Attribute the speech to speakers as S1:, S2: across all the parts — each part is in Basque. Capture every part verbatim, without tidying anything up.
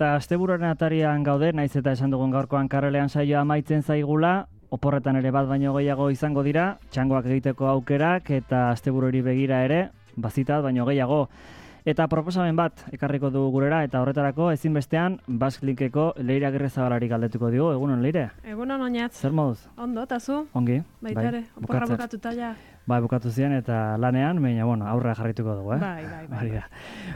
S1: eta asteburuaren atarian gaude, naiz eta esan dugun gaurkoan karrelean saioa amaitzen zaigula, oporretan ere bat baino gehiago izango dira, txangoak egiteko aukerak eta asteburuari begira ere, bazitat baino gehiago. Eta proposamen bat ekarriko dugu gurera, eta horretarako ezinbestean Basque Linkeko Leire Agirrezabalari galdetuko digu. Egunon, Leire?
S2: Egunon, oinatz.
S1: Zer moduz?
S2: Ondo, eta zu?
S1: Ongi.
S2: Baita ere, oporra bukatuta ja.
S1: Bai, bukatu ziren eta lanean, baina, bueno, aurra jarrituko dugu, eh?
S2: Bai, bai, bai.
S1: bai.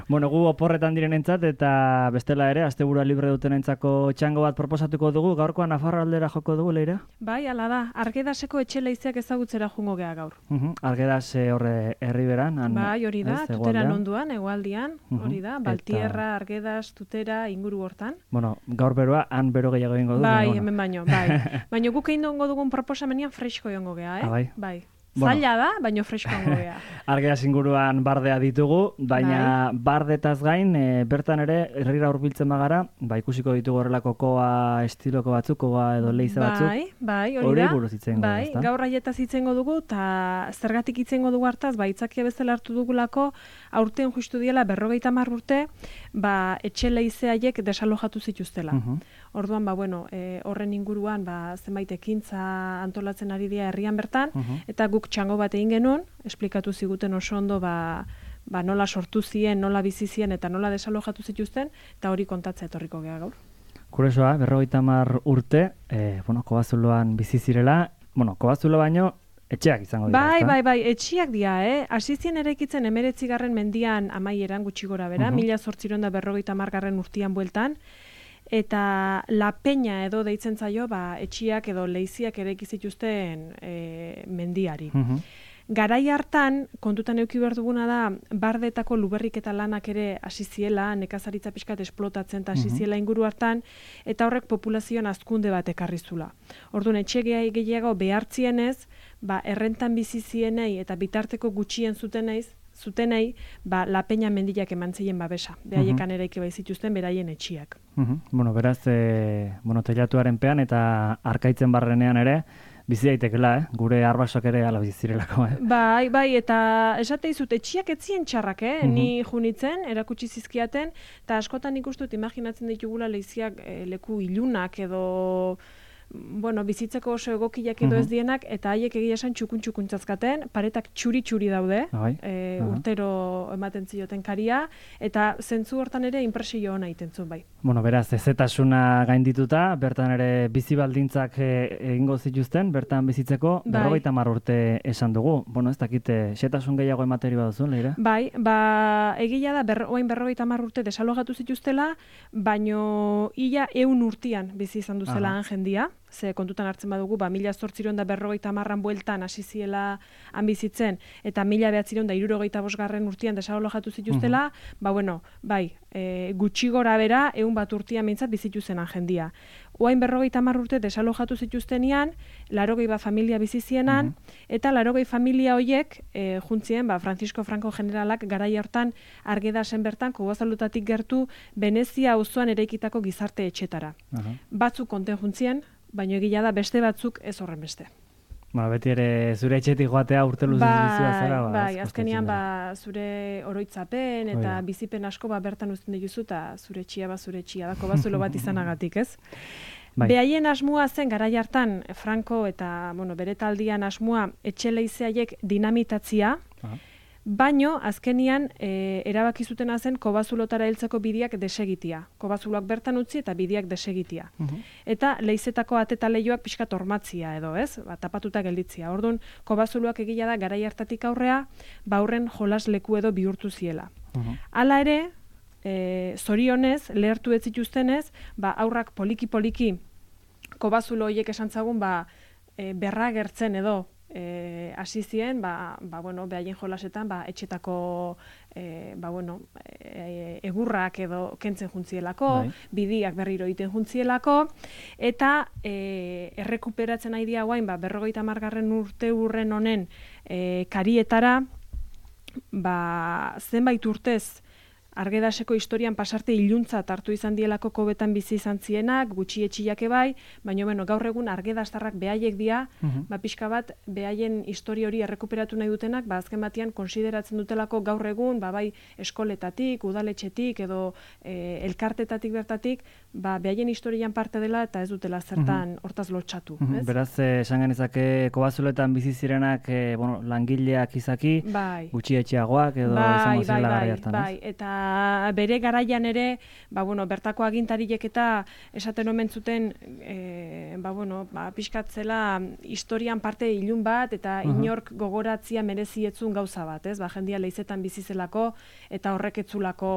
S1: Bueno, gu oporretan direnentzat eta bestela ere, asteburua libre dutenentzako txango bat proposatuko dugu, gaurkoan Nafarroa aldera joko dugu, Leire?
S2: Bai, ala da, Argedaseko etxe leizeak ezagutzera jungo gea gaur.
S1: Uh -huh. Argedas horre herriberan.
S2: Bai, hori da, ez, tuteran onduan, hegoaldian, uh -huh. hori da, Baltierra, eta... Argedas, tutera, inguru hortan.
S1: Bueno, gaur beroa, han bero gehiago egingo du.
S2: Bai,
S1: bueno.
S2: hemen baino, bai. Baina guk egin dongo dugun proposamenian fresko jongo gea, eh?
S1: Ah, bai.
S2: Bai.
S1: Bueno.
S2: Zaila da, baino fresko jongo gea.
S1: Argedas inguruan bardea ditugu, baina bai. Bardetaz gain, e, bertan ere, herrira hurbiltzen bagara, ba, ikusiko ditugu horrelako koa estiloko batzuk, koa edo leize batzuk.
S2: Bai, bai, hori da.
S1: Hori buruz itzengo,
S2: bai,
S1: ezta?
S2: Gaur aietaz itzengo dugu, eta zergatik itzengo dugu hartaz, ba, itzakia bezala hartu dugulako, aurten justu diela berrogeita hamar urte, ba, etxe leize haiek desalojatu zituztela. Uh -huh. Orduan, ba, bueno, e, horren inguruan, ba, zenbait ekintza antolatzen ari dira herrian bertan, uh -huh. eta guk txango bat egin genuen, esplikatu ziguten oso ondo, ba, ba, nola sortu zien, nola bizi zien, eta nola desalojatu zituzten, eta hori kontatza etorriko gea gaur.
S1: Kuresoa, berrogeita hamar urte, e, bueno, Kobazuloan bizi zirela, bueno, Kobazulo baino, etxeak izango dira.
S2: Bai, bai, bai, etxeak dira, eh? Hasi zien eraikitzen hemeretzigarren mendian amaieran gutxi gora bera, mila uh -huh. zortziehun eta berrogeita hamargarren urtean bueltan, eta La Peña edo deitzen zaio, ba, etxiak edo leiziak eraiki zituzten e, mendiari. Uh -huh. Garai hartan, kontutan eduki behar duguna da, bardetako luberriketa lanak ere hasi ziela, nekazaritza pixkat esplotatzen eta hasi ziela inguru hartan, eta horrek populazioan hazkunde bat ekarri zula. Orduan, etxe gehiago behartzienez, ba, errentan bizi zienei eta bitarteko gutxien zuteneiz, zutenei, ba, La Peña mendiak eman zeien babesa. Behaiekan uh -huh. eraiki baizituzten beraien etxiak.
S1: Uh -huh. Bueno, beraz, e, bueno, teilatuaren pean eta arkaitzen barrenean ere, bizi daitekela, eh? Gure arbasoak ere ala bizi zirelako, eh?
S2: Bai, bai, eta esate dizut, etxiak etzien txarrak, eh? Uh -huh. Ni junitzen, erakutsi zizkiaten, eta askotan ikustut imaginatzen ditugula leiziak e, leku ilunak edo... bueno, bizitzeko oso egokiak edo ez dienak, eta haiek egia esan txukun-txukuntzazkaten, paretak txuri-txuri daude, e, urtero ematen zioten karia, eta zentzu hortan ere impresio hona egiten zuen bai.
S1: Bueno, beraz, ezetasuna gaindituta, bertan ere bizi baldintzak egingo zituzten, bertan bizitzeko, berrogeita hamar urte esan dugu. Bueno, ez dakite, xetasun gehiago emateri baduzun, Leire?
S2: Bai, ba, egia da, ber, oain berrogeita hamar urte desalogatu zituztela, baino ia eun urtian bizi izan duzela han jendia, ze kontutan hartzen badugu, ba, mila zortziehun eta berrogeita hamarran bueltan hasi ziela han bizitzen, eta mila bederatziehun eta hirurogeita bosgarren urtean desalojatu zituztela, uh -huh. ba, bueno, bai, e, gutxi gora bera, eun bat urtean mintzat bizituzen jendia. Oain berrogeita hamar urte desalojatu zituztenean, larogei bat familia bizizienan, uh -huh. eta larogei familia hoiek, e, juntzien, ba, Francisco Franco generalak garai hartan Argedasen bertan, Kobazalutatik gertu, Venezia auzoan eraikitako gizarte etxetara. Uh -huh. Batzuk konten juntzien, baina egia da beste batzuk ez horren beste.
S1: Bueno, beti ere zure etxetik joatea urte luzez
S2: bai,
S1: bizua zara. Ba,
S2: bai, azkenean ba, zure oroitzapen eta Oida. bizipen asko ba, bertan uzten dituzu eta zure etxia ba zure etxia da, Kobazulo bat izanagatik, ez? Bai. Behaien asmoa zen garai hartan Franco eta bueno, bere taldian asmoa etxe leizeiak dinamitatzia, Aha. baino azkenian e, erabaki zutena zen Kobazulotara heltzeko bideak desegitia. Kobazuloak bertan utzi eta bideak desegitia. Uh -huh. Eta leizetako ateta leioak pixka tormatzia edo, ez? Ba, tapatuta gelditzia. Orduan, Kobazuloak egia da garai hartatik aurrea, ba horren jolas leku edo bihurtu ziela. Uh -huh. Hala ere, e, zorionez, lehertu ez zituztenez, ba aurrak poliki-poliki Kobazulo horiek esan zagun, ba, e, berra gertzen edo, hasi e, zien, ba, ba, bueno, behaien jolasetan, ba, etxetako e, ba, bueno, e, egurrak edo kentzen juntzielako, bai. Bidiak berriro egiten juntzielako, eta e, errekuperatzen nahi dia guain, ba, berrogeita hamargarren urte urren honen e, karietara, ba, zenbait urtez Argedaseko historian pasarte iluntzat hartu izan dielako kobetan bizi izan zienak, gutxi etxiake bai, baina bueno, gaur egun argedastarrak behaiek dira, uh-huh. ba, pixka bat behaien historia hori errekuperatu nahi dutenak, ba, azken batean konsideratzen dutelako gaur egun, ba, bai eskoletatik, udaletxetik edo e, elkartetatik bertatik, ba, behaien historian parte dela eta ez dutela zertan uh-huh. hortaz lotxatu.
S1: Uh-huh.
S2: Ez?
S1: Beraz, esan genezake kobazuloetan bizi zirenak e, bueno, langileak izaki, bai. Gutxi etxeagoak edo
S2: bai,
S1: izango
S2: bai,
S1: zirela
S2: bai,
S1: garai hartan,
S2: bai, eta bere garaian ere, ba, bueno, bertako agintariek eta esaten omen zuten, e, ba, bueno, ba, pixkatzela historian parte ilun bat, eta uh-huh. inork gogoratzia merezietzun gauza bat, ez? Ba, jendia leizetan bizizelako, eta horrek etzulako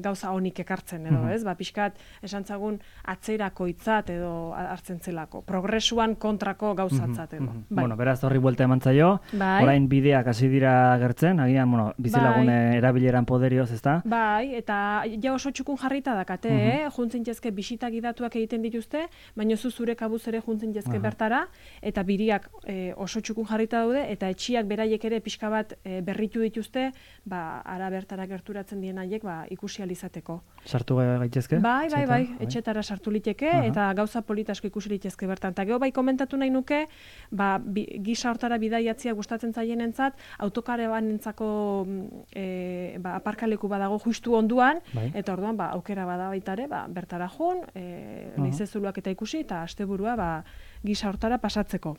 S2: gauza honik ekartzen edo, ez? Ba, pixkat esantzagun atzerako hitzat edo hartzen zelako. Progresuan kontrako gauzatzat edo.
S1: Bai. Bueno, beraz horri buelta eman zaio. Bai. Orain bideak hasi dira gertzen, agian, bueno, bizilagune bai. erabileran poderioz, ezta?
S2: Bai, eta ja oso txukun jarrita dakate, uh -huh. eh? Juntzen jezke bisita gidatuak egiten dituzte, baina zu zure kabuz ere juntzen jezke uh -huh. bertara, eta biriak e, oso txukun jarrita daude, eta etxiak beraiek ere pixka bat e, berritu dituzte, ba, ara bertara gerturatzen dien haiek, ba, ikusi izateko.
S1: Sartu gaitezke?
S2: Bai, bai, bai, etxetara sartu liteke, uh-huh. eta gauza politasko ikusi litezke bertan. Eta geho bai komentatu nahi nuke, ba, bi, gisa hortara bidaiatzia gustatzen zaienentzat, autokarebanentzako e, ba, aparkaleku badago justu onduan, bai. Eta orduan ba, aukera bada baitare, ba, bertara joan, e, uh-huh. leizezuluak eta ikusi, eta asteburua ba, gisa hortara pasatzeko.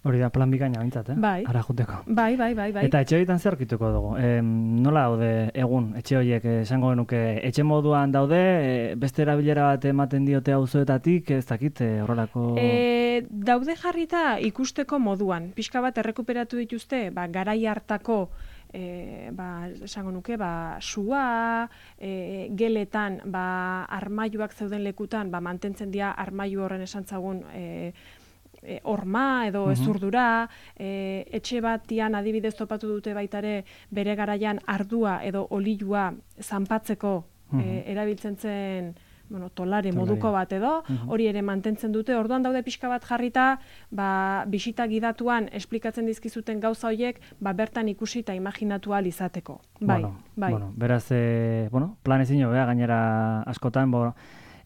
S1: Hori da plan bikaina bintzat, eh?
S2: Bai.
S1: Ara juteko.
S2: Bai, bai, bai, bai.
S1: Eta etxe horietan zer aurkituko dugu? E, nola daude egun etxe horiek esango genuke? Etxe moduan daude, e, beste erabilera bat ematen diote auzoetatik, ez dakit horrelako...
S2: E, daude jarrita ikusteko moduan. Pixka bat errekuperatu dituzte, ba, garai hartako E, ba, esango nuke, ba, sua, e, geletan, ba, armailuak zeuden lekutan, ba, mantentzen dira armailu horren esantzagun e, e, orma edo uh-huh. ezurdura, e, etxe batian adibidez topatu dute baitare bere garaian ardua edo olilua zanpatzeko uh-huh. e, erabiltzen zen bueno, tolare moduko bat edo, uh-huh. hori ere mantentzen dute, orduan daude pixka bat jarrita, ba, bisita gidatuan esplikatzen dizkizuten gauza horiek, ba, bertan ikusi eta imaginatu ahal izateko. Bai,
S1: bueno,
S2: bai.
S1: Bueno, beraz, e, bueno, plan ezin jo, gainera askotan, bo,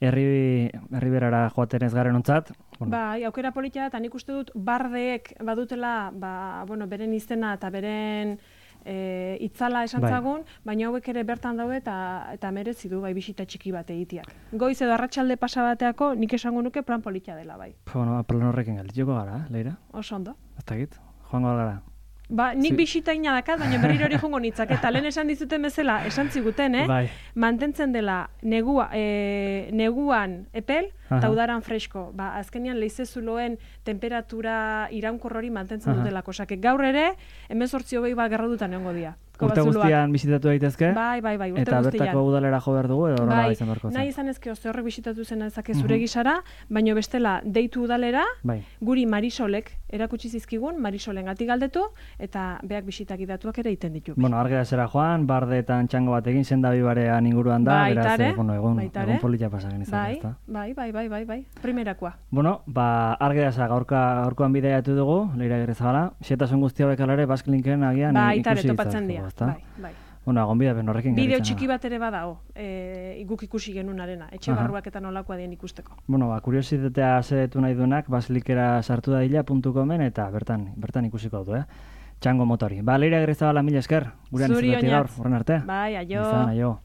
S1: herri, herri berara joaten ez garen ontzat.
S2: Bueno. Bai, aukera politia eta nik uste dut bardeek badutela, ba, bueno, beren izena eta beren E, itzala esantzagun, bai. Baina hauek ere bertan daude eta eta merezi du bai bisita txiki bat egiteak. Goiz edo arratsalde pasa bateako nik esango nuke plan politia dela bai.
S1: Bueno, plan horrekin geldituko gara, Leira?
S2: Oso ondo.
S1: Ez dakit, joango gara.
S2: Ba, nik bisita ina dakat, baina berriro hori jongo nitzak. Eta lehen esan dizuten bezala, esan ziguten, eh? Bai. Mantentzen dela negua, e, neguan epel, eta udaran fresko. Ba, azkenean leizezuloen temperatura iraunkor hori mantentzen dutelako. Osake, gaur ere, hemezortzi hogei bat gerra dutan egongo dira.
S1: Urte guztian bisitatu daitezke?
S2: Bai, bai, bai, urte
S1: eta
S2: guztian.
S1: Eta bertako udalera jo behar dugu, edo horrela bai, izan beharko zen?
S2: Nahi izan ezke, oste horrek bisitatu zen ezake zure gisara, baina bestela deitu udalera, bai. Guri Marisolek erakutsi zizkigun, Marisolen gatik galdetu, eta beak bisitak idatuak ere egiten ditu.
S1: Bueno, Argedasera joan, bardeetan txango batekin, sendabibarean inguruan da, beraz, eh, bueno, egon, egon politia pasagen izan,
S2: bai, ezta? Bai, bai, bai, bai, bai, primerakoa.
S1: Bueno, ba, Argedasa gaurka, gaurkoan bidaiatu dugu, Leira Agirrezabala, xetasun guzti hauek alare, Basklinken agian
S2: bai, ikusi topatzen dira, bai, bai.
S1: Bueno, agon bidea, ben horrekin
S2: bideo txiki bat ere badao, e, guk ikusi genunarena, etxe barruak eta nolakoa dien ikusteko.
S1: Bueno, ba, kuriositatea zedetu nahi duenak, baslikera sartu dadila puntu comen eta bertan, bertan ikusiko du, eh? Txango motori. Ba, Leira Agirrezabala, mila esker, gurean izatetik gaur, horren arte.
S2: Bai, aio.
S1: Izan, aio.